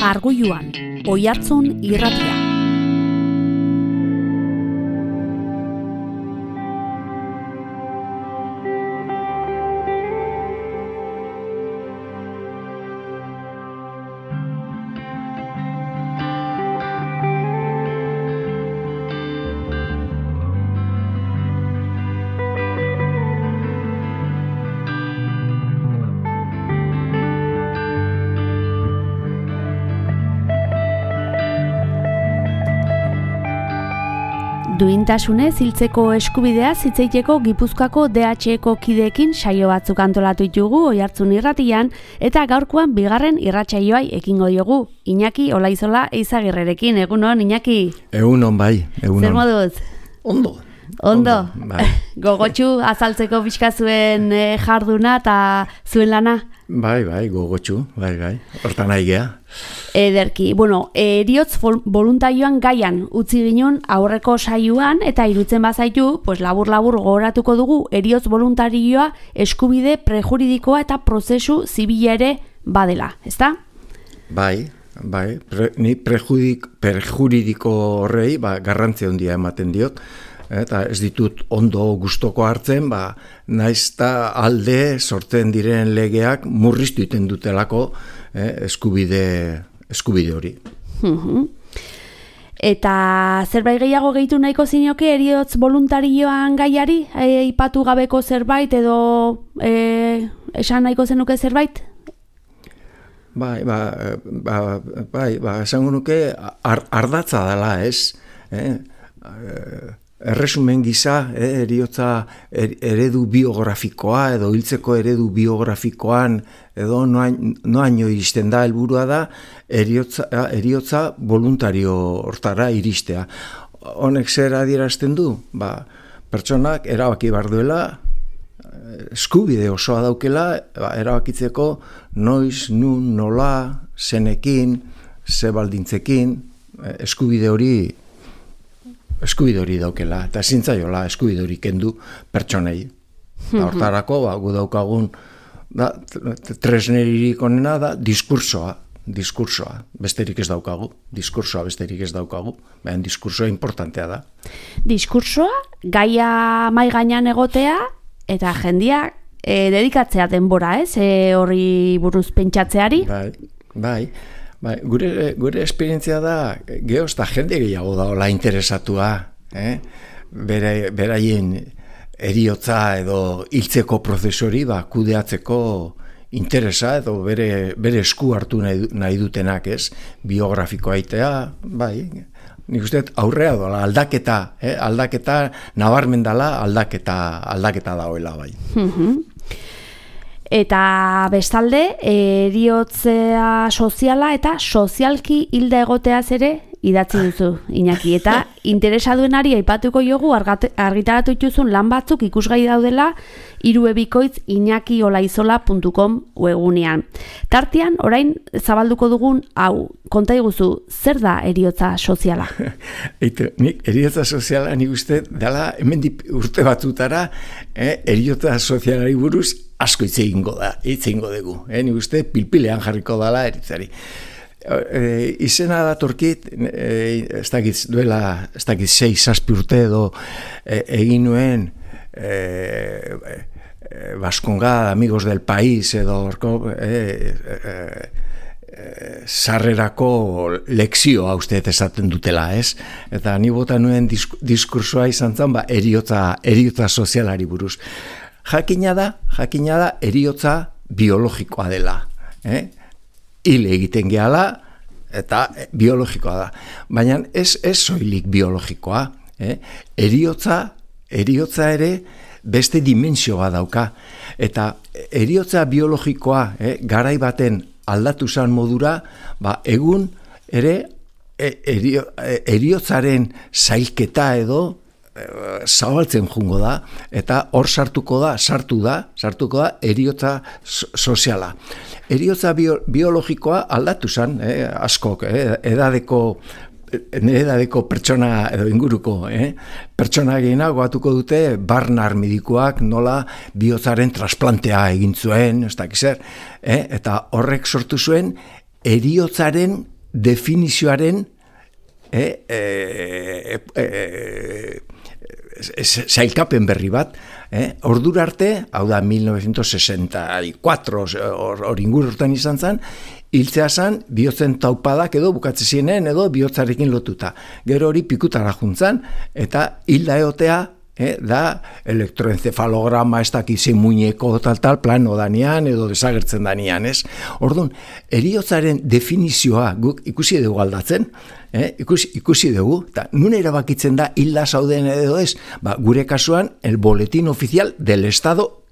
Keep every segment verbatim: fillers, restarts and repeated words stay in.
Arguluan, Oihartzun irratia. Duintasunez hiltzeko eskubidea hitzeiteko Gipuzkoako D H Eko kideekin saio batzuk antolatu ditugu Oihartzun irratian eta gaurkoan bigarren irratsaioai ekingo diogu. Iñaki Olaizola Eizagirrerekin. Egunon, Iñaki? Egunon bai, egunon. Zer moduz? Ondo. Ondo. Bai. Gogotsu azaltzeko pixka zuen e, jarduna eta zuen lana? Bai, bai, gogotsu, bai, bai. Hortan nahi gea. Ederki, bueno, eriotz voluntarioan gaian utzi ginen aurreko saioan eta irutzen bazaitu, pues labur-labur gogoratuko dugu eriotz voluntarioa eskubide prejuridikoa eta prozesu zibila ere badela, ezta? Bai, bai, pre, ni prejudik, prejuridiko horrei ba, garrantzia handia ematen diot, eta ez ditut ondo gustoko hartzen, ba, naizta alde sortzen diren legeak murriztu iten dutelako eh, eskubide, eskubide hori. Eta zerbait gehiago gehitu nahiko zinioke eriotz voluntarioan gaiari, aipatu gabeko zerbait edo e, esan nahiko zenuke zerbait? Bai, ba, ba, bai, ba, esango nuke ar, ardatza dela, ez? Eh? Erresumen gisa, eh, eriotza er, eredu biografikoa edo hiltzeko eredu biografikoan edo noaino iristen da, helburua da eriotza, eriotza voluntario hortara iristea. Honek zer adierazten du? Ba, pertsonak erabaki behar duela, eskubide osoa daukela, ba, erabakitzeko noiz, nun, nola, zenekin, ze baldintzekin, eskubide hori eskubide hori daukela, eta zintzaiola eskubide hori kendu pertsonei. Mm-hmm. Hortarako, ba, gu daukagun da, tresneririk onena da diskursoa, diskursoa, besterik ez daukagu, diskursoa besterik ez daukagu, baina diskursoa importantea da. Diskursoa, gaia mai gainean egotea, eta jendia e, dedikatzea denbora, ez? E, horri buruz pentsatzeari? Bai, bai. Ba, gure, gure esperientzia da, gehoz eta jende gehiago daola interesatua, eh? Bere, beraien eriotza edo hiltzeko prozesori ba, kudeatzeko interesa edo bere, bere esku hartu nahi, nahi dutenak, ez? Biografikoa aitea, bai, nik uste aurrea dola, aldaketa, eh? aldaketa nabarmen dela, aldaketa, aldaketa daoela, bai. Eta bestalde, eriotzea soziala eta sozialki hilda egoteaz ere idatzi duzu, Iñaki. Eta interesaduenari aipatuko jogu argitaratu dituzun lan batzuk ikusgai daudela hiruebikoitz iñakiolaizola puntu com webgunean. Tartean, orain zabalduko dugun hau, konta iguzu, zer da eriotza soziala? Eitu, nik eriotza soziala nik uste dela hemendik urte batzutara eh, eriotza sozialari buruz asko hitz egingo da, hitz egingo dugu. Eh, nik uste pilpilean jarriko dela eritzari. E, izena datorkit, e, ez dakit duela, ez dakit sei, zazpi urte edo e, egin nuen e, e, Baskonga, Amigos del País edo orko, e, e, e, sarrerako lekzioa uste esaten dutela, ez? Eta ni bota nuen disk, diskursoa izan zen, ba, eriotza, eriotza sozialari buruz. Jakina da, jakina da, eriotza biologikoa dela. Eh? Hil egiten gehala, eta biologikoa da. Baina ez, ez soilik biologikoa. Eh? Eriotza, eriotza ere beste dimensio bat dauka. Eta eriotza biologikoa eh, garai baten aldatu zan modura, ba, egun ere erio, eriotzaren zailketa edo zabaltzen jungo da, eta hor sartuko da, sartu da, sartuko da eriotza soziala. Eriotza bio, biologikoa aldatu zen, eh, askok, eh, edadeko, edadeko pertsona edo inguruko, eh, pertsona gehiago batuko dute, Barnard medikuak nola bihotzaren trasplantea egin zuen, ez dakiz zer, eh, eta horrek sortu zuen eriotzaren definizioaren eh, eh, eh, zailkapen berri bat, eh? Ordura arte, hau da mil novecientos sesenta y cuatro hor ingur urtean izan zen, hiltzea zen bihotzen taupadak edo bukatze zienen edo bihotzarekin lotuta. Gero hori pikutara juntzan eta hilda egotea eh, da elektroencefalograma ez dakizi muñeko tal tal plano danean edo desagertzen danean, ez? Orduan, heriotzaren definizioa guk ikusi dugu aldatzen, eh, ikusi, ikusi dugu, eta nun erabakitzen da hilda zauden edo ez, ba, gure kasuan el boletín oficial del Estado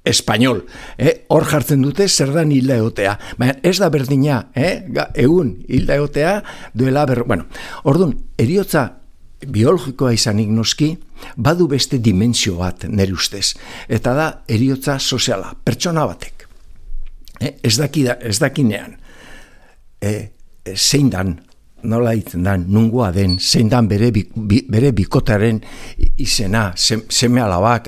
español, eh? Hor jartzen dute zer da hilda egotea, baina ez da berdina, eh? Egun hilda egotea duela ber... Bueno, orduan, heriotza biologikoa izanik noski, badu beste dimensio bat nire ustez, eta da heriotza soziala, pertsona batek. Eh? Ez, daki da, ez dakinean, eh, zein dan, nola ditzen dan, nungoa den, zein dan bere, bi, bere bikotaren izena, sem, seme alabak,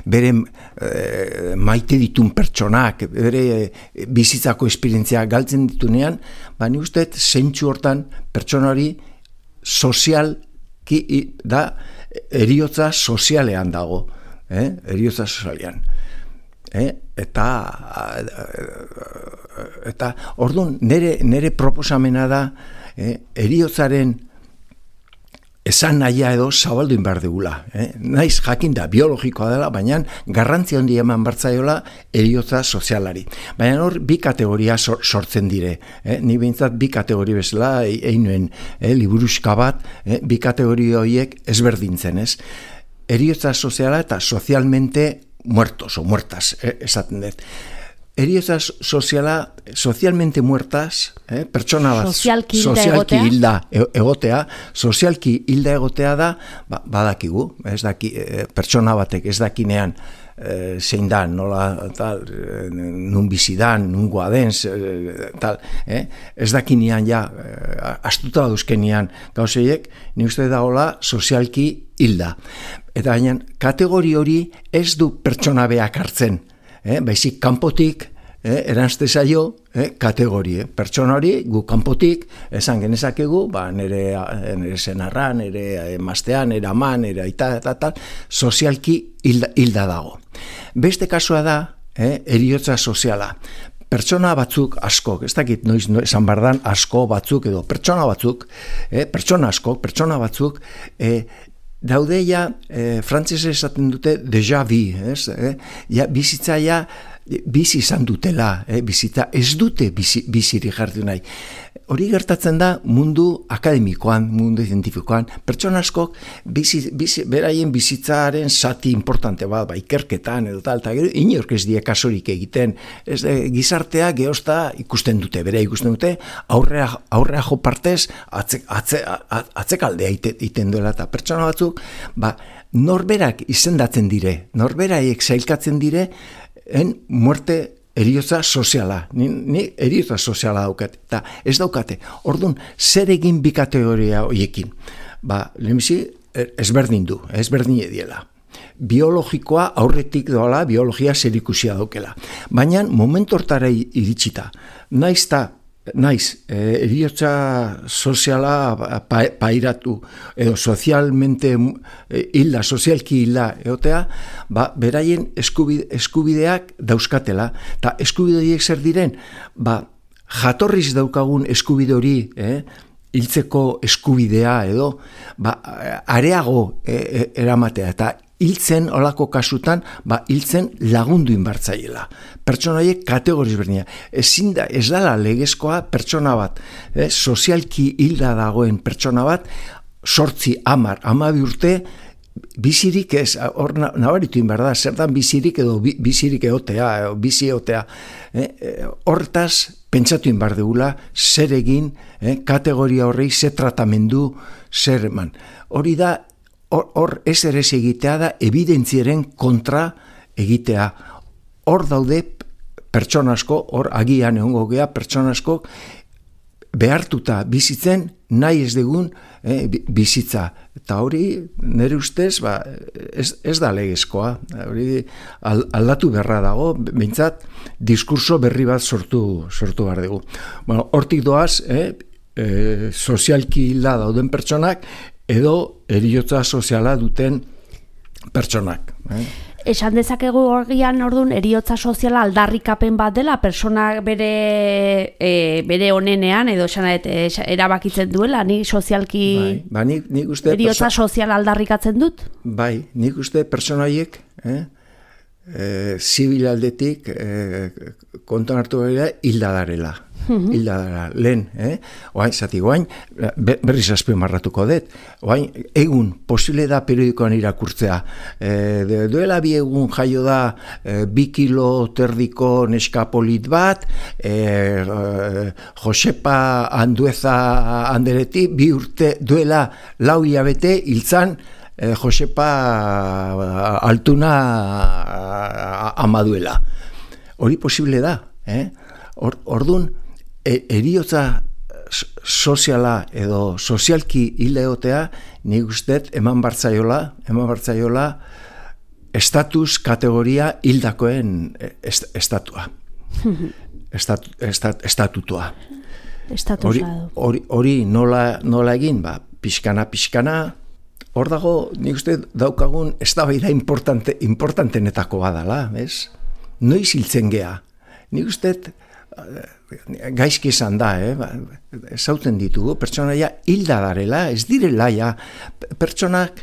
bere e, maite ditun pertsonak, bere e, bizitzako esperientzia galtzen ditunean, ba ni uste zeintzu hortan pertsonari sozial ki, da heriotza sozialean dago, eh? Heriotza sozialean. Eh? Eta eta orduan nere, nere proposamena da eh? Heriotzaren esan nahia edo zabalduin behar dugula. Eh? Naiz jakin da biologikoa dela, baina garrantzi handi eman bartzaiola heriotza sozialari. Baina hor bi kategoria sor, sortzen dire. Eh? Ni behintzat bi kategori bezala einuen eh? liburuska bat, eh? bi kategori horiek ezberdintzen, ez? Heriotza soziala eta sozialmente muertos o muertas, eh? esaten dut. Heriotza soziala, sozialmente muertas, eh? pertsona bat sozialki hilda sozialki egotea. hilda egotea, sozialki hilda egotea da, ba, badakigu, ez daki, eh, pertsona batek ez dakinean eh, zein da, nola, tal, eh, nun bizidan, nungoa den, eh, tal, eh? ez dakinean ja, eh, astuta dauzkenian gauzeiek, ni uste da hola sozialki hilda. Eta baina, kategori hori ez du pertsona beak hartzen, eh? Baizik kanpotik, eh? eranzte zaio, eh? kategorie. Pertsona hori, gu kanpotik, esan genezakegu, ba, nire, nire senarra, nire emaztean, nire aman, nire aita, eta tal, sozialki hilda, hilda dago. Beste kasua da, eh? heriotza soziala. Pertsona batzuk askok, ez dakit noiz esan bardan asko batzuk edo pertsona batzuk, eh? pertsona askok, pertsona batzuk, eh? daude ja, eh, frantzese esaten dute déjà vu, ez? Eh? Ja, bizitza ja, bizi izan dutela, eh? bizitza ez dute bizi, biziri jartu nahi. Hori gertatzen da mundu akademikoan, mundu zientifikoan, pertsona askok bizi, bizi, beraien bizitzaren zati importante bat, ba, ikerketan edo tal, eta gero inork ez die kasurik egiten, ez de, gizartea geosta ikusten dute, bere ikusten dute, aurrea, aurrea jo partez, atze, atze, atzekaldea egiten duela, eta pertsona batzuk, ba, norberak izendatzen dire, norberaiek zailkatzen dire, en muerte heriotza soziala, ni, ni heriotza soziala daukate, eta ez daukate. Orduan, zer egin bi kategoria horiekin? Ba, lehenbizi, ezberdin du, ezberdin ediela. Biologikoa aurretik doala, biologia zerikusia daukela. Baina, momentu hortara iritsita, naiz ta, naiz, eh, heriotza soziala pa, pairatu, edo sozialmente eh, hilda, sozialki hilda egotea, ba, beraien eskubide, eskubideak dauzkatela. Eta eskubide horiek zer diren, ba, jatorriz daukagun eskubide hori, eh, hiltzeko eskubidea edo, ba, areago eh, eramatea, eta hiltzen olako kasutan, ba, hiltzen lagundu inbartzaiela. Pertsona horiek kategoriz berdina. Ezin da, ez dala legezkoa pertsona bat, eh, sozialki hilda dagoen pertsona bat, sortzi, amar, amabi urte, bizirik ez, hor nabaritu inbarda, zer dan bizirik edo bizirik egotea, bizi egotea. Eh, hortaz, pentsatu inbar degula, zer egin, eh, kategoria horrei, zer tratamendu, zer eman. Hori da, hor, hor ez ere egitea da, evidentziaren kontra egitea. Hor daude pertsona asko, hor agian egongo gea pertsona asko behartuta bizitzen nahi ez dugun eh, bizitza. Eta hori nire ustez ba, ez, ez da legezkoa. Hori aldatu beharra dago, behintzat diskurso berri bat sortu, sortu behar dugu. Bueno, hortik doaz, eh, e, sozialki hilda dauden pertsonak, edo eriotza soziala duten pertsonak. Eh? Esan dezakegu horrian orduan eriotza soziala aldarrikapen bat dela, personak bere e, bere onenean, edo esan erabakitzen duela, ni sozialki bai, ba, nik, nik uste eriotza perso... soziala aldarrikatzen dut? Bai, nik uste pertsonaiek, eh, e, zibil aldetik e, konton hartu gara hilda darela. Mm-hmm. Hilda dara, lehen, eh? Oain, zati, oain, berriz azpimarratuko dut, oain, egun, posible da periodikoan irakurtzea, e, de, duela bi egun jaio da e, bi kilo terdiko neska polit bat, e, e, Josepa Andueza Andereti, bi urte duela lau hilabete hiltzan e, Josepa Altuna Amaduela. Hori posible da, eh? Or, ordun, E, eriotza soziala edo sozialki hildeotea nik usteet eman bartzaiola, eman bartzaiola estatus kategoria hildakoen est, estatua. Estat, estat, estatutua. Hori, hori, hori nola, nola egin, ba, pixkana, pixkana, hor dago nik uste daukagun eztabaida importante, importantenetako badala, ez? Noiz hiltzen gea. Nik usteet gaizki esan da, eh? Zauten ditugu, pertsonaia hilda darela, ez direla, ja, pertsonak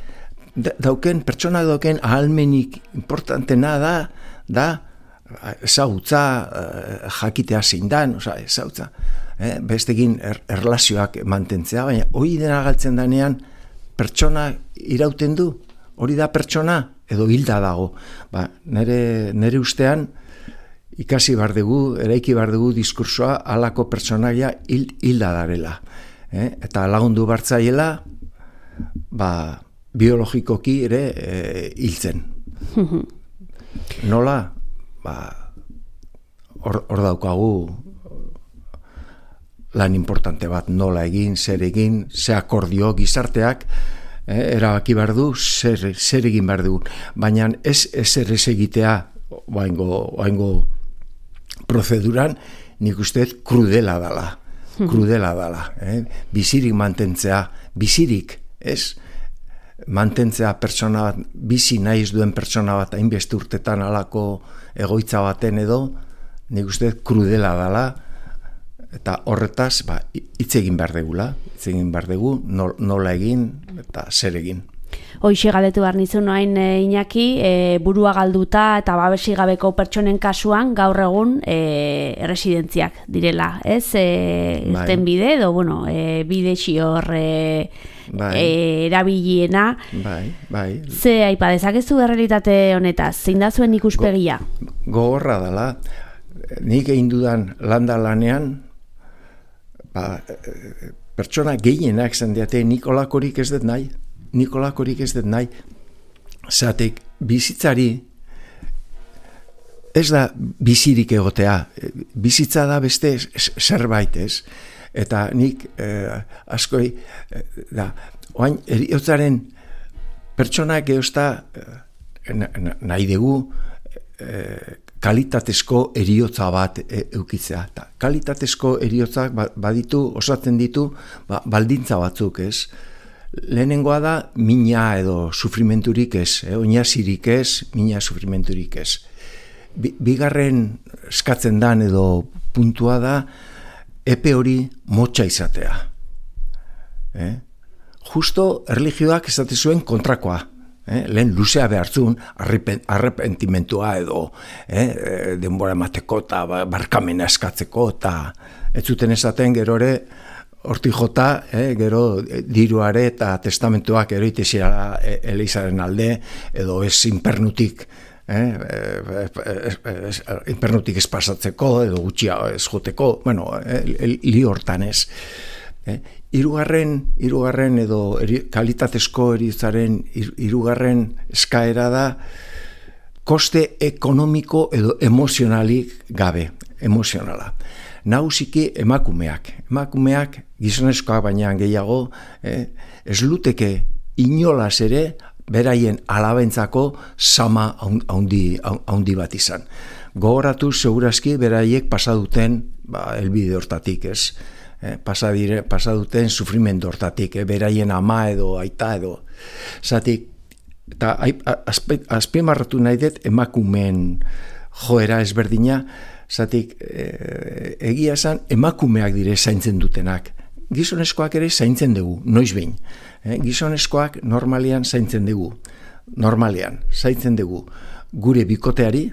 dauken, pertsonak dauken ahalmenik importantena da, da, ezautza, jakitea zein dan, oza, ezautza, eh? Bestegin er, erlazioak mantentzea, baina hori dena galtzen danean, pertsona irauten du, hori da pertsona, edo hilda dago, ba, nere, nere ustean, ikasi bar dugu, eraiki bar dugu diskursoa halako pertsonaia hil, hilda darela. Eh? Eta lagundu bartzaiela, ba, biologikoki ere e, hiltzen. Nola? Ba, hor, hor daukagu lan importante bat, nola egin, zer egin, ze akordio gizarteak, eh, erabaki bar du, zer, zer egin bar dugu. Baina ez ezer ez egitea, oaingo, oaingo prozeduran, nik usteet krudela dala, krudela dala, eh? Bizirik mantentzea, bizirik, ez? Mantentzea pertsona bat, bizi nahiz duen pertsona bat, hainbeste urtetan alako egoitza baten edo, nik usteet krudela dala, eta horretaz, ba, hitz egin behar degula, hitz egin behar dugu, nola egin, eta zer egin. Hoixe galdetu behar nizun noain e, Iñaki, e, burua galduta eta babesi gabeko pertsonen kasuan gaur egun e, erresidentziak direla, ez? E, irten bide, edo, bueno, e, bide xior e, bai. e, erabiliena. Bai, bai. Ze aipa dezakezu errealitate honetaz, zein da zuen ikuspegia? Go, gogorra dela, nik egin dudan landa lanean, ba, pertsona gehienak zendiate nik olakorik ez dut nahi. Nikolakorik ez dut nahi, zatek bizitzari ez da bizirik egotea, bizitza da beste zerbait ez, eta nik eh, askoi, eh, da, oain eriotzaren pertsonak eozta eh, nahi dugu eh, kalitatezko eriotza bat e, eukitzea. Ta, kalitatezko eriotzak baditu, osatzen ditu, ba, baldintza batzuk ez, lehenengoa da mina edo sufrimenturik ez, eh? Oinazirik ez, mina sufrimenturik ez. Bi, bigarren eskatzen dan edo puntua da epe hori motxa izatea. Eh? Justo erlijioak esate zuen kontrakoa. Eh? Lehen luzea behartzun arrepentimentua edo eh? denbora emateko eta barkamena eskatzeko eta ez zuten esaten gerore hortik jota, eh, gero diruare eta testamentuak eroitezia Elizaren alde, edo ez inpernutik, eh, inpernutik ez pasatzeko, edo gutxia ez joteko, bueno, eh, li hortan ez. Eh, irugarren, irugarren edo eri, kalitatezko eritzaren irugarren eskaera da, koste ekonomiko edo emozionalik gabe, emozionala. Nagusiki emakumeak, emakumeak gizonezkoak baina gehiago, eh, ez luteke inolaz ere beraien alabentzako sama haundi, haundi bat izan. Gogoratu segurazki beraiek pasaduten ba, elbide hortatik, ez? eh, pasa, dire, pasa duten sufrimendu hortatik, eh, beraien ama edo aita edo. Zatik, eta azpimarratu nahi dut emakumeen joera ezberdina, zatik e, egia esan emakumeak dire zaintzen dutenak. Gizonezkoak ere zaintzen dugu, noiz behin. E, gizonezkoak normalian zaintzen dugu, normalian zaintzen dugu gure bikoteari,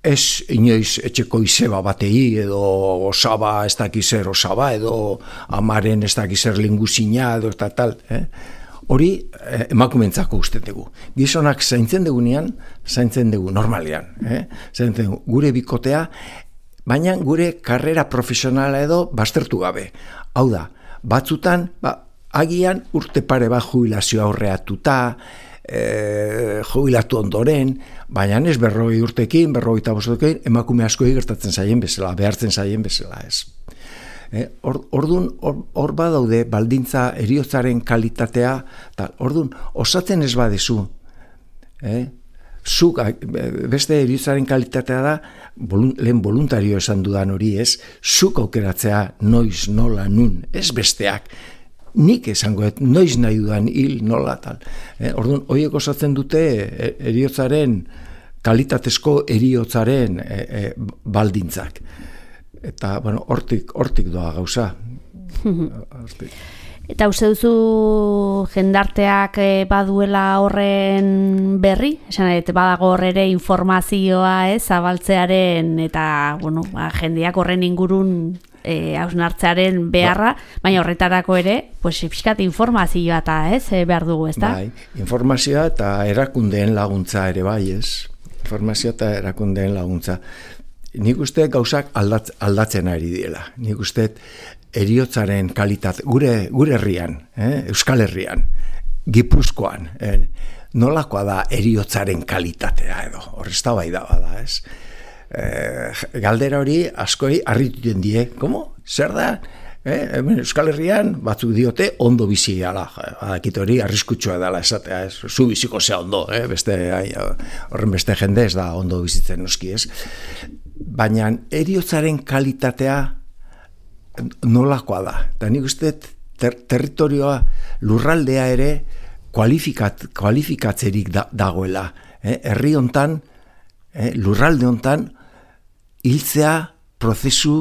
ez inoiz etxeko izeba batei, edo osaba ez dakizer osaba, edo amaren ez dakizer linguzina, edo eta tal, eh? Hori eh, emakumentzako uste dugu. Gizonak zaintzen dugunean, zaintzen dugu normalean. Eh? Zaintzen dugu gure bikotea, baina gure karrera profesionala edo baztertu gabe. Hau da, batzutan, ba, agian urte pare bat jubilazio aurreatuta, eh, jubilatu ondoren, baina ez berroi urtekin, berroi eta bostotekin, emakume asko gertatzen zaien bezala, behartzen zaien bezala ez. Ordun hor, hor badaude baldintza heriotzaren kalitatea, tal. Ordun osatzen ez badezu, eh? Zuk, beste heriotzaren kalitatea da, bolun, lehen voluntario esan dudan hori ez, zuk aukeratzea noiz, nola, nun, ez besteak. Nik esango, et, noiz nahi dudan hil, nola, tal. Eh? Ordun horiek osatzen dute heriotzaren, kalitatezko heriotzaren e, e, baldintzak. Eta, bueno, hortik, hortik doa gauza. Hortik. Eta uste duzu jendarteak baduela horren berri? Esan, badago horre informazioa, ez, zabaltzearen, eta, bueno, ba, jendeak horren ingurun e, hausnartzearen beharra, ba, baina horretarako ere, pues, pixkat informazioa eta, ez, behar dugu, ez da? Bai, informazioa eta erakundeen laguntza ere bai, ez? Informazioa eta erakundeen laguntza. Nik uste gauzak aldatz, aldatzen ari diela. Nik uste heriotzaren kalitate, gure, gure herrian, eh, Euskal Herrian, Gipuzkoan, eh, nolakoa da heriotzaren kalitatea edo, hor ez da bai da bada, ez? Eh, galdera hori askoi harrituten die, komo? Zer da? Eh, Euskal Herrian batzuk diote ondo bizi ala, adakit hori arriskutsua dela esatea, ez? Zu biziko zea ondo, eh? Beste, ai, horren beste jende ez da ondo bizitzen noski, ez? Baina heriotzaren kalitatea nolakoa da. Eta nik uste ter, territorioa, lurraldea ere kualifikat, kualifikatzerik da, dagoela. Eh? Herri hontan, eh, lurralde hontan, hiltzea prozesu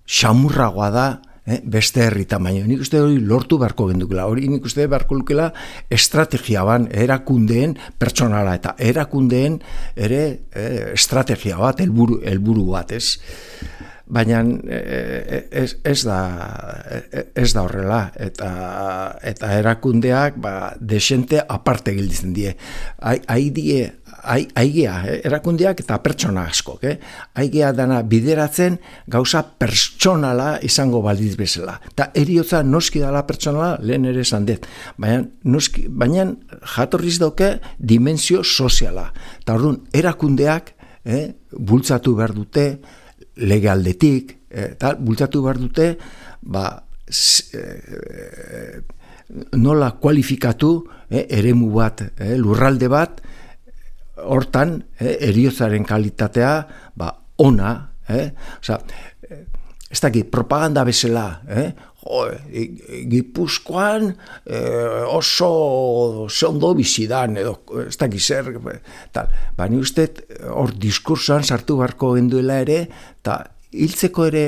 xamurragoa da, eh, beste herri tamaino. Nik uste hori lortu beharko gendukela. Hori nik uste beharko lukela estrategia ban, erakundeen pertsonala eta erakundeen ere eh, estrategia bat, helburu, helburu bat, ez? Baina ez, ez, da, ez da horrela, eta, eta erakundeak ba, desente aparte gilditzen die. Hai die, aigea, eh? Erakundeak eta pertsona askok, eh? Aigea dana bideratzen gauza pertsonala izango baldiz bezala. Eta eriotza noski dala pertsonala, lehen ere esan dut. Baina, noski, baina jatorriz dauke dimensio soziala. Eta orduan, erakundeak eh, bultzatu behar dute, lege aldetik, eta bultzatu behar dute, ba, e, nola kualifikatu eh, eremu bat, eh, lurralde bat, hortan, eh, heriotzaren kalitatea, ba, ona, eh? Osea, ez dakit, propaganda bezala, eh? Jo, Gipuzkoan eh, oso ondo bizidan, edo ez dakit zer, tal. Ba, ni uste, hor diskursoan sartu beharko genduela ere, eta hiltzeko ere,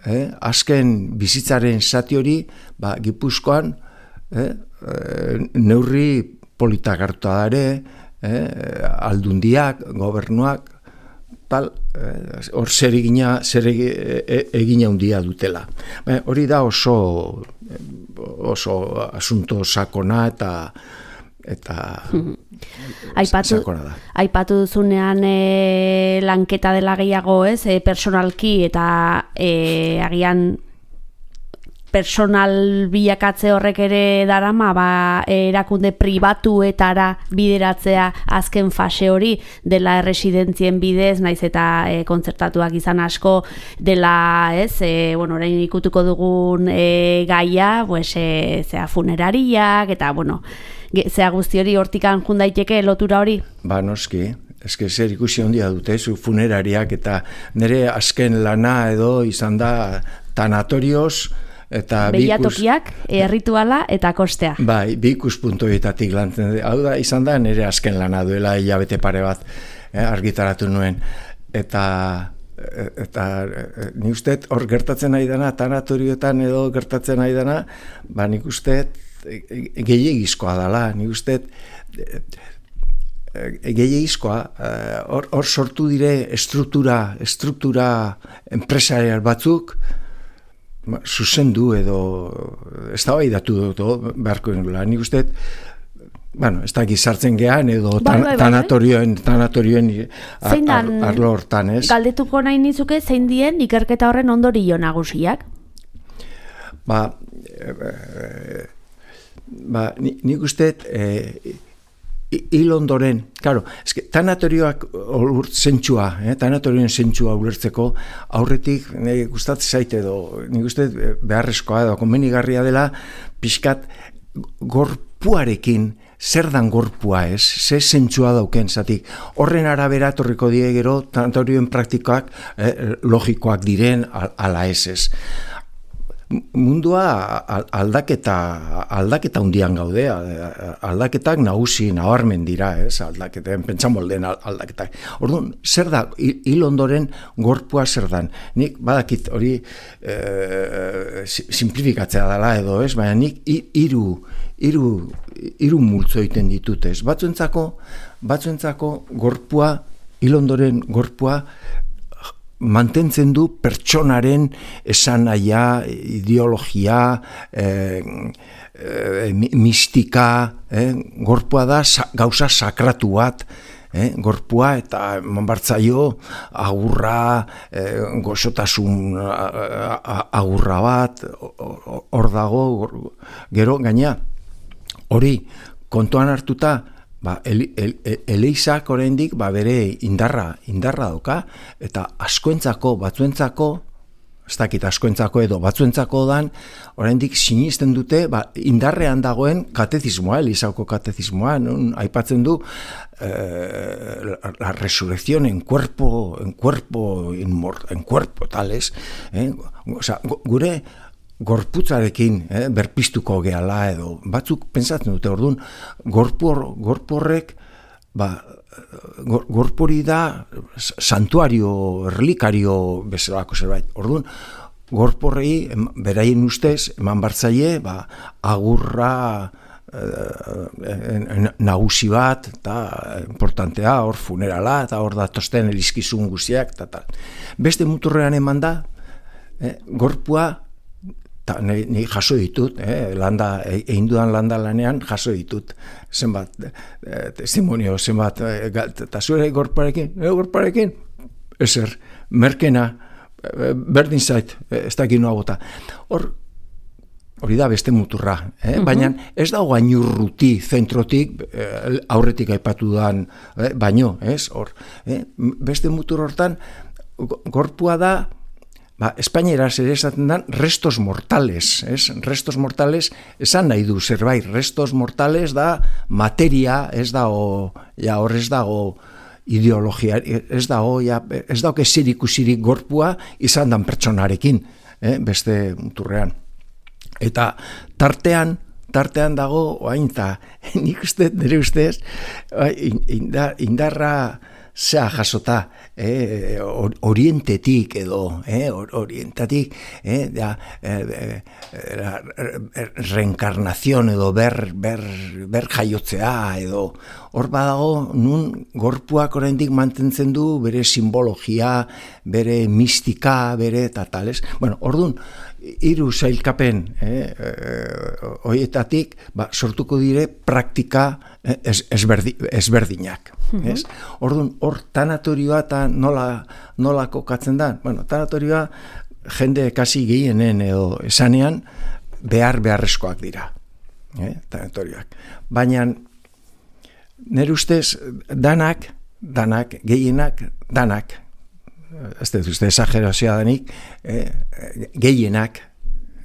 eh, azken bizitzaren zati hori, ba, Gipuzkoan, eh, neurri politak hartu da ere, eh, aldundiak, gobernuak, tal, hor eh, zer egina, zer egina handia dutela. Eh, hori da oso, oso asunto sakona eta eta aipatu, sakona da. Aipatu duzunean e, lanketa dela gehiago, ez, e, personalki eta e, agian personal bilakatze horrek ere darama, ba, erakunde pribatuetara bideratzea azken fase hori dela erresidentzien bidez, naiz eta e, kontzertatuak izan asko dela, ez, e, bueno, orain ikutuko dugun e, gaia, pues, e, zea funerariak, eta, bueno, zea guzti hori hortikan jun daiteke lotura hori? Ba, noski. Eske zer ikusi handia dute, zu funerariak, eta nire azken lana edo izan da tanatorioz, Eta Behiatokiak, errituala eta kostea. Bai, bi ikuspuntuetatik lantzen. Hau da, izan da, nire azken lana duela hilabete pare bat eh, argitaratu nuen. Eta, eta nik uste hor gertatzen nahi dana, tanatorioetan edo gertatzen nahi dana, ba nik uste gehiagizkoa dela, nik uste gehiagizkoa, hor uh, sortu dire struktura, struktura enpresarial batzuk, zuzendu edo ez da bai datu dut beharko nula. Nik uste, bueno, ez da gizartzen gehan edo tan, bai, bai, tanatorioen, tanatorioen ar, ar, arlo hortan, ez? Galdetuko nahi nizuke zein dien ikerketa horren ondorio nagusiak? Ba, e, ba nik uste e, hil ondoren, claro, eske tanatorioak zentsua, eh, tanatorioen zentsua ulertzeko aurretik nire gustatzen zaite edo nik uste beharrezkoa edo konbenigarria dela pixkat gorpuarekin zer dan gorpua ez, ze zentsua dauken zatik. Horren arabera torriko die gero tanatorioen praktikoak eh, logikoak diren ala ez ez. Mundua aldaketa aldaketa hundian gaude, aldaketak nagusi nabarmen dira, ez? Aldaketen pentsamolden aldaketak. Orduan, zer da hil ondoren gorpua zer dan? Nik badakit hori e, simplifikatzea dela edo, ez? Baina nik hiru hiru hiru multzo egiten ditut, ez? Batzuentzako, batzuentzako gorpua hil ondoren gorpua mantentzen du pertsonaren esanahia, ideologia, eh, eh, mistika, eh, gorpua da sa, gauza sakratu bat, eh, gorpua eta manbartzaio agurra, eh, gozotasun agurra bat, hor dago, gero gaina, hori kontuan hartuta, ba, ele, ele, eleizak oraindik ba, bere indarra, indarra doka, eta askoentzako, batzuentzako, ez dakit askoentzako edo batzuentzako dan, oraindik sinisten dute ba, indarrean dagoen katezismoa, elizako katezismoa, non aipatzen du eh, la resurrección en cuerpo, en cuerpo, en cuerpo, tales, eh? Osea, gure gorputzarekin eh, berpiztuko gehala edo batzuk pentsatzen dute orduan gorpor gorporrek ba gor, gorpori da santuario relikario bezalako zerbait. Orduan gorporrei beraien ustez eman bartzaile ba agurra eh, nagusi bat eta importantea hor funerala eta hor datosten elizkizun guztiak eta tal. Beste muturrean eman da eh, gorpua Ni, ni jaso ditut, eh, landa, egin dudan landa lanean jaso ditut, zenbat eh, testimonio, zenbat, eta eh, zure gorparekin, eh, gorparekin, ezer, merkena, eh, berdin zait, eh, ez dakit noa bota. Hor, hori da beste muturra, eh? Uh-huh. Baina ez da gainurruti zentrotik, eh, aurretik aipatu dudan, eh, baino, ez, hor, eh? Beste mutur hortan, gorpua da, ba, espainieraz ere esaten da restos mortales, ez? Restos mortales esan nahi du zerbait, restos mortales da materia, ez dago, ja hor ez dago ideologia, ez dago, ja, ez dago zirikusirik gorpua izan dan pertsonarekin, eh? Beste muturrean. Eta tartean, tartean dago, oain eta nik uste, nire ustez, indar, indarra zea jasota, eh, orientetik edo, eh, orientatik, eh, da, eh, eh, reenkarnazion edo ber, ber, ber jaiotzea edo, hor badago nun gorpuak oraindik mantentzen du bere simbologia, bere mistika, bere eta tales. Bueno, orduan, hiru sailkapen eh, horietatik ba, sortuko dire praktika ez, ezberdi, ezberdinak. Uh-huh. Ez? Orduan, hor tanatorioa eta nola, nola kokatzen da? Bueno, tanatorioa jende kasi gehienen edo esanean behar beharrezkoak dira. Eh, tanatorioak. Baina nire ustez danak, danak, gehienak, danak, ez dut uste esagerazioa danik, eh, gehienak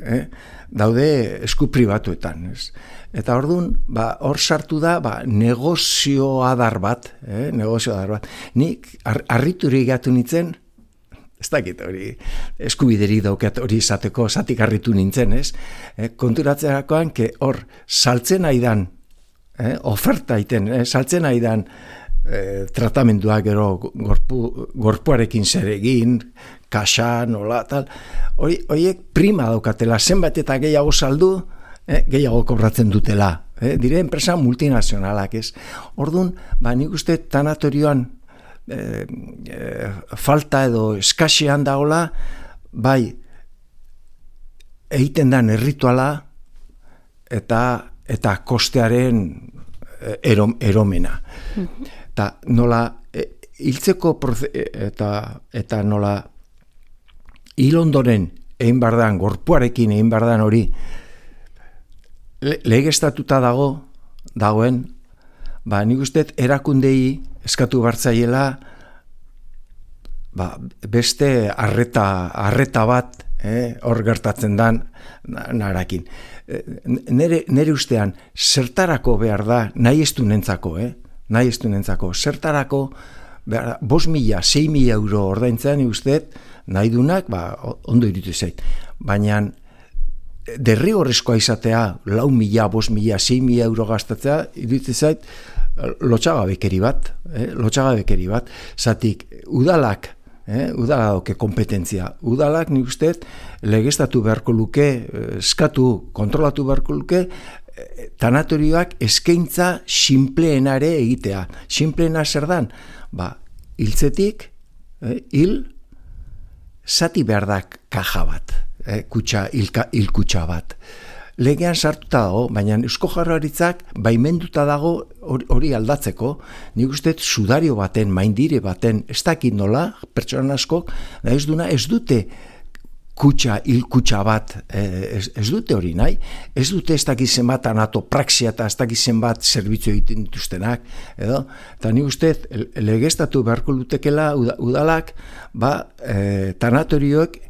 eh, daude esku pribatuetan. Ez? Eta orduan, ba, hor sartu da ba, negozio adar bat, eh, negozio adar bat. Nik ar, arriturik gatu nintzen, ez dakit hori, eskubideri daukat hori izateko, zatik harritu nintzen, ez? E, konturatzerakoan, ke hor, saltzen aidan, eh, oferta iten, eh, saltzen aidan e, tratamendua gero gorpu, gorpuarekin zer egin, kaxa, nola, tal, hori, horiek prima daukatela, zenbat eta gehiago saldu, eh, gehiago kobratzen dutela, eh, dire enpresa multinazionalak, ez? Orduan, ba, nik uste tanatorioan, E, e, falta edo eskasean dagola, bai egiten dan errituala eta eta kostearen erom, eromena. Mm-hmm. Eta nola e, hiltzeko proze, eta eta nola hil ondoren egin bardan, gorpuarekin egin bardan hori le, legeztatuta dago dagoen, ba nik uste erakundei eskatu bartzaiela ba, beste arreta, arreta bat eh, hor gertatzen dan narakin. Nere, nere ustean, zertarako behar da, nahi ez du nentzako, eh? nahi ez du nentzako, zertarako behar da, bos mila, sei mila euro ordaintzen usteet, nahi dunak, ba, ondo iritu zait. Baina derrigorrezkoa izatea, lau mila, bos mila, sei mila euro gastatzea, iritu zait, lotxagabekeri bat, eh? lotxagabekeri bat, zatik udalak, eh? udala dauke kompetentzia, udalak nik usteet legeztatu beharko luke, eskatu, kontrolatu beharko luke, eh, tanatorioak eskaintza sinpleenare egitea. Sinpleena zer dan? Ba, hiltzetik, eh? hil, zati behar da kaja bat, eh? kutxa, hilka, hilkutxa bat. Legean sartuta dago, baina Eusko Jaurlaritzak baimenduta dago hori aldatzeko, nik uste sudario baten, maindire baten, ez dakit nola, pertsona askok, ez duna, ez dute kutxa, hil kutxa bat, ez, ez dute hori nahi, ez dute ez dakit zenbat anatopraxia eta ez dakit zenbat zerbitzu egiten dituztenak, edo, eta nik uste legeztatu beharko lutekela udalak, ba, e, tanatorioek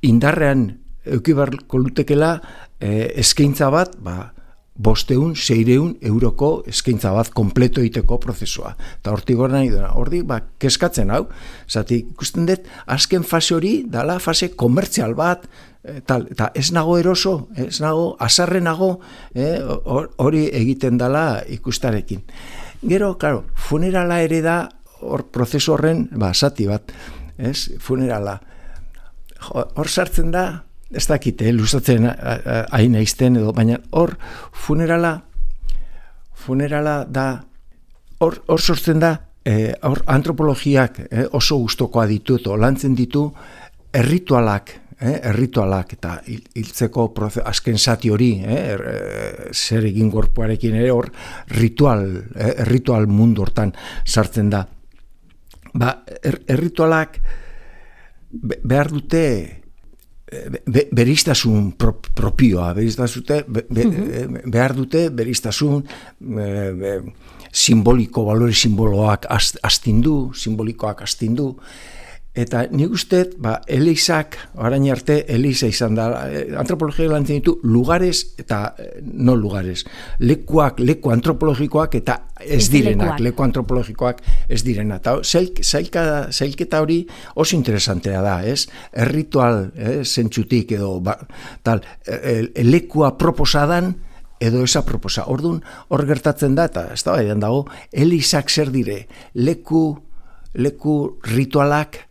indarrean euki beharko lutekela, E, eskaintza bat, ba, bosteun, seireun euroko eskaintza bat kompleto egiteko prozesua. Eta hortik gora nahi duena, hortik, ba, keskatzen hau, zati ikusten dut, azken fase hori, dala fase komertzial bat, e, tal, eta ez nago eroso, ez nago, azarrenago, hori e, egiten dala ikustarekin. Gero, claro, funerala ere da, hor prozesu horren, ba, zati bat, ez, funerala. Hor sartzen da, ez dakite, luzatzen hain aizten edo, baina hor funerala, funerala da, hor, hor sortzen da, eh, hor antropologiak eh, oso gustokoa ditu, edo lantzen ditu, erritualak, eh, erritualak, eta hiltzeko azken zati hori, eh, er, zer egin gorpuarekin ere, hor ritual, eh, erritual mundu hortan sartzen da. Ba, er, erritualak behar dute, Be, beriztasun pro, propioa, beriztasute, be, be, mm-hmm. behar dute beriztasun be, be, simboliko, balore simboloak astindu, simbolikoak astindu, eta nik uste, ba, Elizak, orain arte, Eliza izan da, antropologia lantzen ditu, lugares eta no lugares, lekuak, leku antropologikoak eta ez direnak, leku antropologikoak ez direnak. Eta zailk, zailketa hori oso interesantea da, ez? Erritual, eh, zentzutik edo, ba, tal, e, e, lekua proposadan, edo esa proposa. Orduan, hor gertatzen da, eta ez da, edan dago, Elizak zer dire, leku, leku ritualak,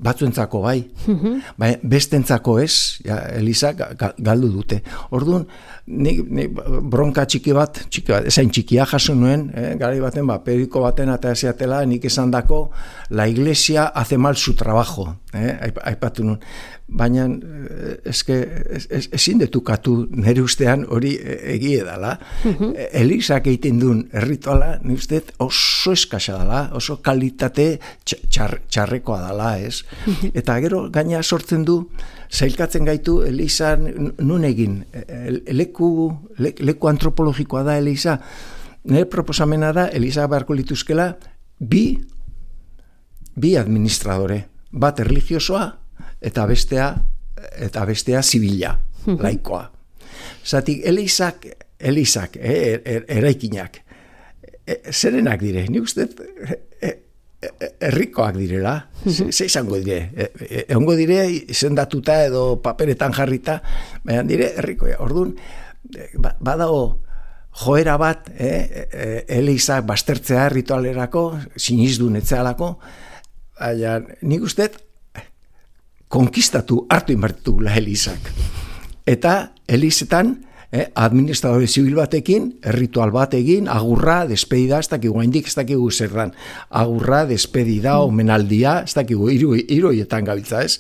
batzuentzako bai, mm-hmm. bai bestentzako ez, ja, Elizak galdu dute. Orduan, nik, nik bronka txiki bat, txiki bat, esain txikia jaso nuen, eh, gari baten, ba, periodiko baten eta esaatela, nik esan dako, la iglesia hace mal su trabajo, eh, aipatu nuen. Baina, eske, ezin detukatu nire ustean hori egie dela. Mm-hmm. Elizak egiten duen errituala, nire usteet oso eskasa dela, oso kalitate txar, txarrekoa dela, ez? Mm-hmm. Eta gero gaina sortzen du, zailkatzen gaitu Eliza nun egin, leku, le, leku antropologikoa da Eliza. Nire proposamena da, Eliza beharko lituzkela, bi, bi administradore, bat erlijiosoa, eta bestea, eta bestea zibila, laikoa. Zatik, Elizak, Elizak, eh, er, eraikinak, eh, zerenak dire, ni uste, eh, herrikoak direla, ze, ze izango dire, egongo dire izendatuta edo paperetan jarrita, baina dire herrikoa. Orduan, badago joera bat, eh, eh, elizak bastertzea ritualerako, sinizdun etzealako, baina nik uste konkistatu hartu inbertitugula elizak. Eta elizetan, Eh, administradore zibil batekin, ritual bat egin, agurra, despedida, ez dakigu, haindik ez dakigu zer dan, agurra, despedida, omenaldia, ez dakigu, hiru hiruetan gabiltza, ez?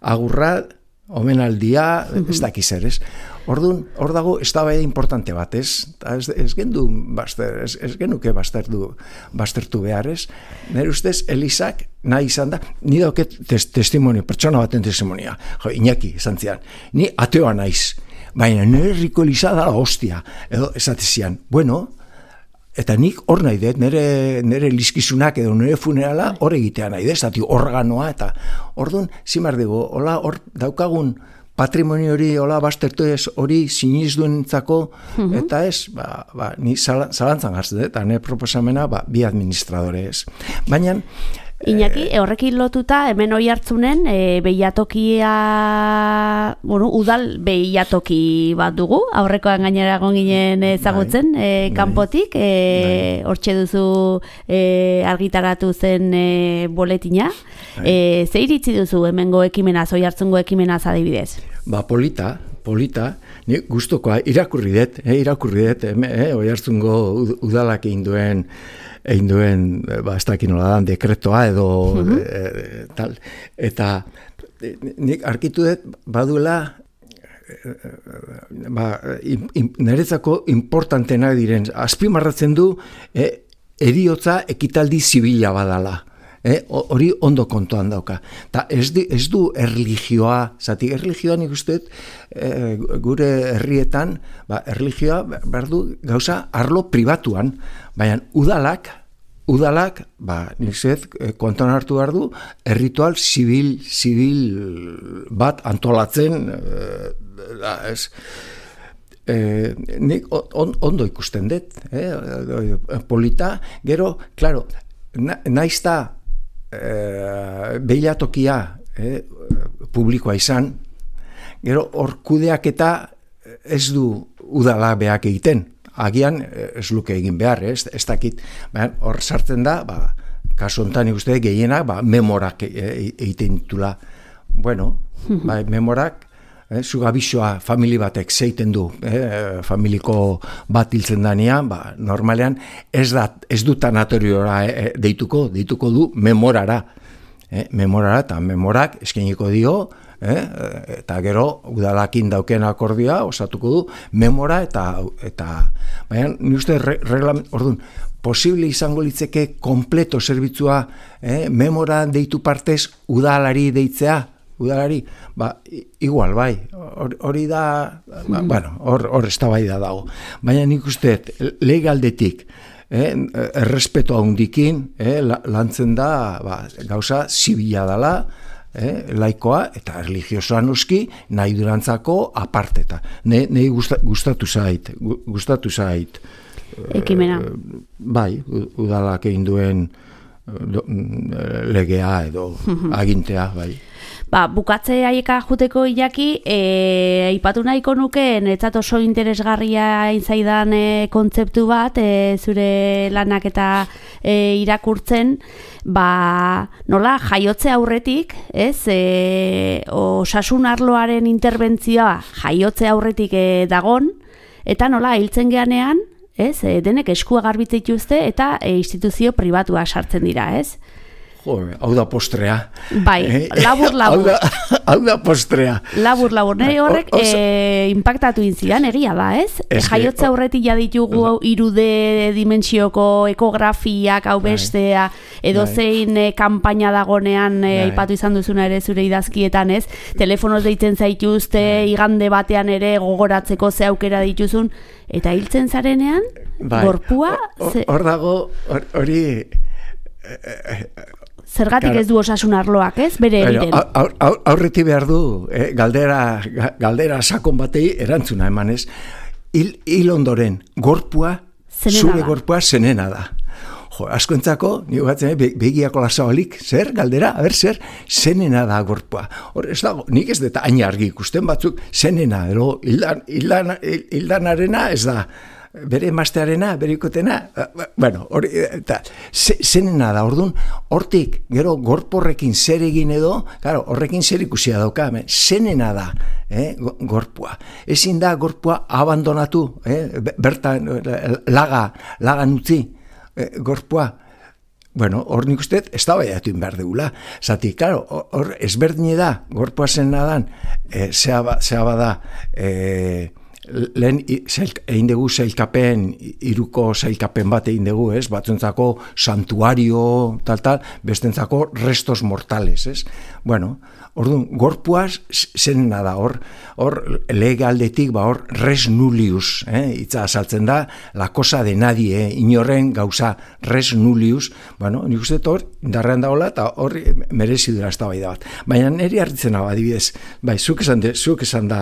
Agurra, omenaldia, ez dakiz zer, ez? Orduan, hor dago, ez da bai importante bat, ez? Ez, ez gendu, baster, ez, ez genuke bastertu, bastertu behar, ez? Nire ustez, elizak nahi izan da, ni dauket tes, testimonio, pertsona baten testimonia, jo, Iñaki, izan zian, ni ateoa naiz, baina nire herriko eliza da hostia, edo esatezian, bueno, eta nik hor nahi dut, nire, nire elizkizunak edo nire funerala hor egitea nahi dut, zati organoa, eta orduan, zimar dugu, hola hor daukagun patrimonio hori, hola bastertu ez hori sinizduentzako, uh-huh. Eta ez, ba, ba, ni zalantzan gartzen dut, eta nire proposamena, ba, bi administradore ez. Baina, Iñaki, horrekin lotuta, hemen hoi hartzunen, e, behiatokia, bueno, udal behiatoki bat dugu, aurrekoan gainera egon ginen ezagutzen, bai, e, kanpotik, e, hortxe duzu e, argitaratu zen e, boletina. E, ze iritzi duzu hemengo ekimenaz, hoi hartzungo ekimenaz adibidez? Ba, polita, polita, ni gustokoa irakurri dut, eh, irakurri dut, eh, hoi hartzungo udalak egin duen, egin duen, ba, ez dakin nola dan, dekretoa edo uh-huh. e, tal. Eta e, nik arkitu dut baduela e, ba, in, in, niretzako importantenak diren, azpimarratzen du e, eriotza ekitaldi zibila badala. Hori eh, ondo kontuan dauka. Ta ez, di, ez du erlijioa, zati erlijioa nik uste eh, gure herrietan, ba, erlijioa behar du gauza arlo pribatuan, baina udalak, udalak, ba, nik zet, kontuan hartu behar du, erritual zibil, zibil bat antolatzen, eh, da, ez, eh, nik on, ondo ikusten dut, eh, polita, gero, klaro, na, naizta, E, beilatokia e, publikoa izan, gero hor kudeaketa ez du udala beak egiten, agian ez luke egin behar, ez, ez dakit, hor sartzen da, ba, kasu honetan ikuste gehienak, ba, memorak egiten ditula, bueno, ba, memorak, eh, zugabizoa famili batek zeiten du, eh, familiko bat hiltzen danean, ba, normalean ez, da, ez du tanatoriora eh, deituko, deituko du memorara, eh, memorara, eta memorak eskeniko dio, eh, eta gero udalakin dauken akordioa osatuko du memora, eta, eta baina ni uste reglament, orduan, posible izango litzeke kompleto zerbitzua eh, memora deitu partez udalari deitzea, udalari, ba, igual, bai, hori da, ba, bueno, hor, hor eztabaida dago. Baina nik uste, legaldetik, eh, errespeto handikin, eh, lantzen da, ba, gauza zibila dela, eh, laikoa, eta religiosoa noski, nahi durantzako aparteta. Ne, nei gusta, gustatu zait, gustatu zait. Ekimena. Eh, bai, udalak egin duen legea edo agintea, bai. Ba, bukatze aieka juteko Iñaki, e, aipatu nahiko nuke, netzat oso interesgarria inzaidan e, kontzeptu bat, e, zure lanak eta e, irakurtzen, ba, nola, jaiotze aurretik, ez, e, osasun arloaren interbentzioa jaiotze aurretik e, dagon, eta nola, hiltzen geanean, ez, e, denek eskua garbitzen dituzte eta e, instituzio pribatua sartzen dira, ez? Jo, hau da postrea. Bai, labur, labur. Hau da, hau da postrea. Labur, labur. Nire horrek o, e, impactatu inzidan, egia da, ez? ez Jaiotza aurretik ja ditugu irude dimentsioko ekografiak, hau bestea, edo zein e, kampaina dagonean e, aipatu izan duzuna ere zure idazkietan, ez? Telefonoz deitzen zaituzte, igande batean ere gogoratzeko ze aukera dituzun, eta hiltzen zarenean, bai. Gorpua... Hor dago, hori... Zergatik ez du osasun arloak, ez? Bere egiten. Aurreti behar du, eh, galdera, galdera sakon batei erantzuna eman, ez? Hil, hil ondoren, gorpua, zure gorpua zenena da. Jo, askoentzako, nio batzen, be, begiako lasabalik, zer, galdera, aber, zer, zenena da gorpua. Hor, ez dago, nik ez deta hain argi ikusten batzuk, zenena, ero, hildan, hildan, hildanarena ez da, bere emaztearena, bere ikotena, bueno, hori, eta, zenena da, orduan, hortik, gero, gorporrekin zer egin edo, claro, horrekin zer ikusia dauka, zenena da, eh, gorpua. Ezin da gorpua abandonatu, eh, bertan, laga, lagan utzi, E, gorpua, bueno, hor nik uste, ez da baiatu inbehar degula. Zati, claro, hor ezberdine da, gorpua zen nadan, e, zea, ba, zea bada, e, lehen egin dugu zailkapen, iruko zailkapen bat egin dugu, ez? Batzuentzako santuario, tal, tal, bestentzako restos mortales, ez? Bueno, orduan, gorpuaz zenena da, hor, hor lege aldetik, ba, hor res nullius, eh? Itza azaltzen da, la cosa de nadie, eh? Inorren gauza res nullius, bueno, nik uste hor, indarrean dagoela, eta hor merezi dira ez da bai da bat. Baina niri harritzen hau, adibidez, bai, zuk esan, de, zuk esan da,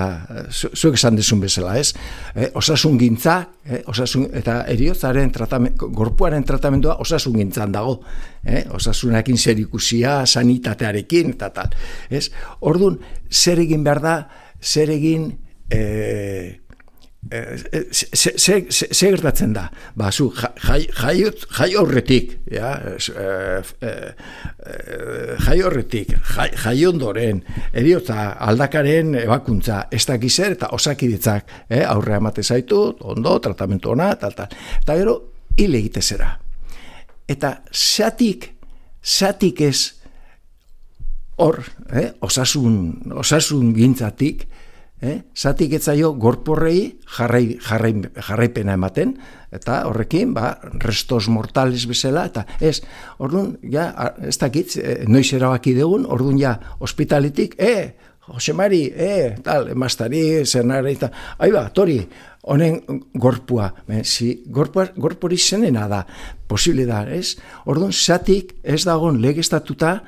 zuk esan dezun bezala, ez? Eh, osasun gintza, eh? Osasun, eta eriotzaren tratamendu, gorpuaren tratamendua osasun gintzan dago, eh? Osasunakin zer ikusia, sanitatearekin, eta tal, ez? Orduan, zer egin behar da, zer egin, eh, eh, zer gertatzen da, ba, zu, jai, jai, jai horretik, ja, eh, eh, jai horretik, jai, jai ondoren, eriotza aldakaren ebakuntza, ez dakizer eta osakiditzak, eh, aurrea emate zaitu, ondo, tratamentu ona, tal, tal, eta gero, hil egite zera. Eta zatik, zatik ez, hor, eh, osasun, osasun gintzatik, eh, zatik etzaio gorporrei jarrai, jarrai, jarraipena ematen, eta horrekin, ba, restos mortales bezala, eta ez, orduan, ja, ez dakit, eh, noiz erabaki dugun, orduan ja, ospitaletik, eh, Josemari, eh, tal, emaztari, zenare, eta, aiba, tori, honen gorpua, eh, si, gorpua, gorpori zenena da, posible da, ez? Orduan, zatik ez dagoen legeztatuta,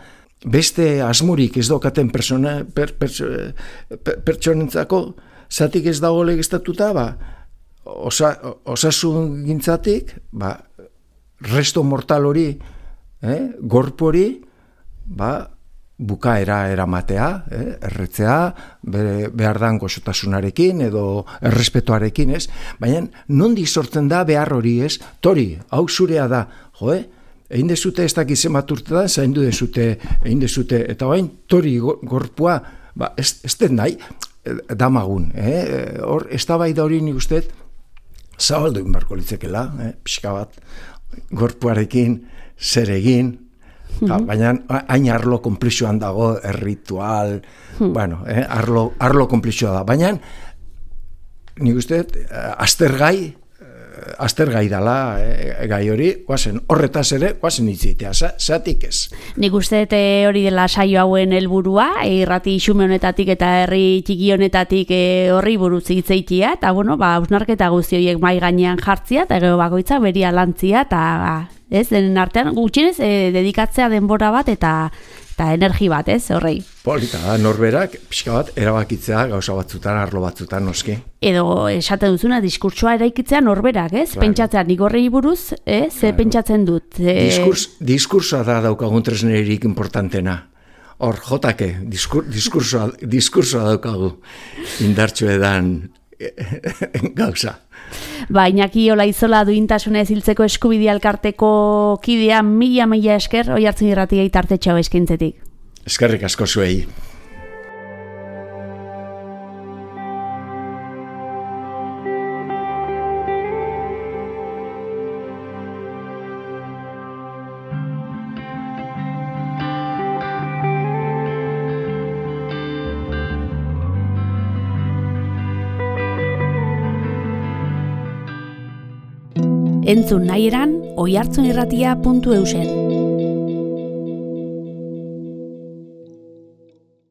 beste asmurik ez daukaten persona, per, per, per, pertsonentzako, zatik ez dago legeztatuta, ba, osa, osasun gintzatik, ba, resto mortal hori, eh, gorpori, ba, bukaera eramatea, eh, erretzea, be, behar dan goxotasunarekin edo errespetuarekin, ez? Baina, nondik sortzen da behar hori, ez? Tori, hau zurea da, jo, eh? Egin dezute ez dakiz zenbat urtetan, zaindu dezute, egin dezute, eta bain, tori gorpua, ba, ez, ez den nahi, damagun, eh? Hor, ez da bai da hori nik uste, zabaldu egin barko litzekela, eh? Pixka bat, gorpuarekin, zer egin, mm-hmm. Baina hain arlo konplexuan dago, erritual, mm. bueno, eh? arlo, arlo konplexua da, baina nik uste, aztergai, aztergai dala e, gai hori, guazen horretaz ere, guazen itzitea, zatik ez. Nik uste hori dela saio hauen helburua, irrati xume honetatik eta herri txiki honetatik e, horri buruz hitzeitia, eta bueno, ba, hausnarketa guzti horiek mai gainean jartzia, eta gero bakoitza beria lantzia, eta ez, denen artean gutxienez e, dedikatzea denbora bat, eta eta energi bat, ez, horrei. Polita da, norberak, pixka bat, erabakitzea gauza batzutan, arlo batzutan, noski. Edo, esate duzuna, diskurtsoa eraikitzea norberak, ez? Claro. Pentsatzea nik horrei buruz, eh? Ze claro. Pentsatzen dut. E... Diskurs, diskursoa da daukagun tresnerik importantena. Hor, jotake, diskur, diskursoa, diskursoa daukagu indartxo edan gauza. Ba, Iñaki Olaizola duintasunez hiltzeko eskubidea elkarteko kidea mila mila esker, oi hartzen irratia itartetxau eskintzetik. Eskerrik asko zuei. Entzun nahi eran, oihartzunirratia puntu eusen.